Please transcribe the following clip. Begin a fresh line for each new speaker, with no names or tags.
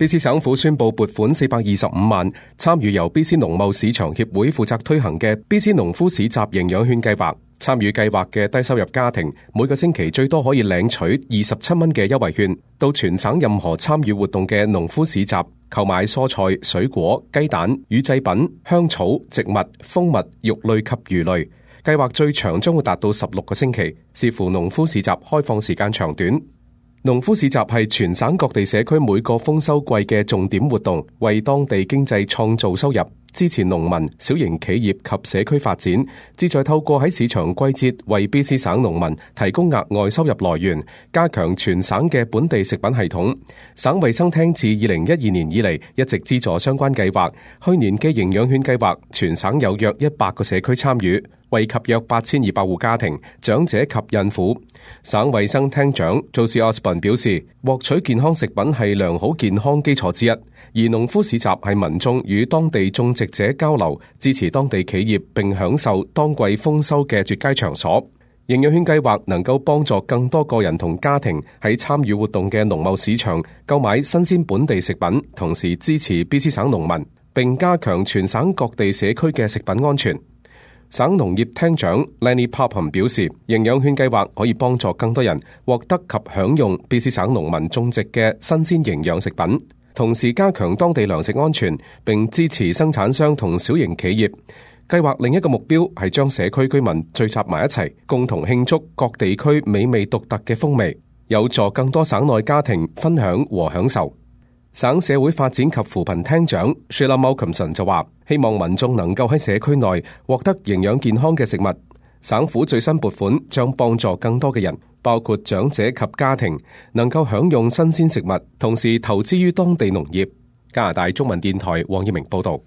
BC 省府宣布撥款425萬，參與由 BC 農貿市場協會負責推行嘅 BC 農夫市集營養券計劃。參與計劃嘅低收入家庭每個星期最多可以領取27蚊嘅優惠券，到全省任何參與活動嘅農夫市集購買蔬菜、水果、雞蛋、乳製品、香草、植物、蜂蜜、肉類及魚類。計劃最長將會達到16個星期，視乎農夫市集開放時間長短。農夫市集係全省各地社區每個豐收季嘅重點活動，為當地經濟創造收入，支持農民、小型企業及社區發展，旨在透過喺市場季節為 BC 省農民提供額外收入來源，加強全省嘅本地食品系統。省衛生廳自2012年以嚟一直資助相關計劃，去年嘅營養券計劃，全省有約100個社區參與，惠及約8200戶家庭、長者及孕婦。省衛生廳長 Josie Osborne 表示，獲取健康食品係良好健康基礎之一，而農夫市集係民眾與當地種植者交流、支持當地企業並享受當季豐收嘅絕佳場所。營養券計劃能夠幫助更多個人同家庭喺參與活動嘅農貿市場購買新鮮本地食品，同時支持 BC 省農民，並加強全省各地社區嘅食品安全。省農業廳長 Lenny Popham 表示，營養券計劃可以幫助更多人獲得及享用 BC 省農民種植嘅新鮮營養食品，同時加強當地糧食安全，並支持生產商同小型企業。計劃另一個目標係將社區居民聚集埋一齊，共同慶祝各地區美味獨特嘅風味，有助更多省內家庭分享和享受。省社會發展及扶貧廳長 Sheila Malcolmson 就話，希望民眾能夠喺社區內獲得營養健康嘅食物。省府最新撥款將幫助更多嘅人，包括長者及家庭，能夠享用新鮮食物，同時投資於當地農業。加拿大中文電台黃耀明報道。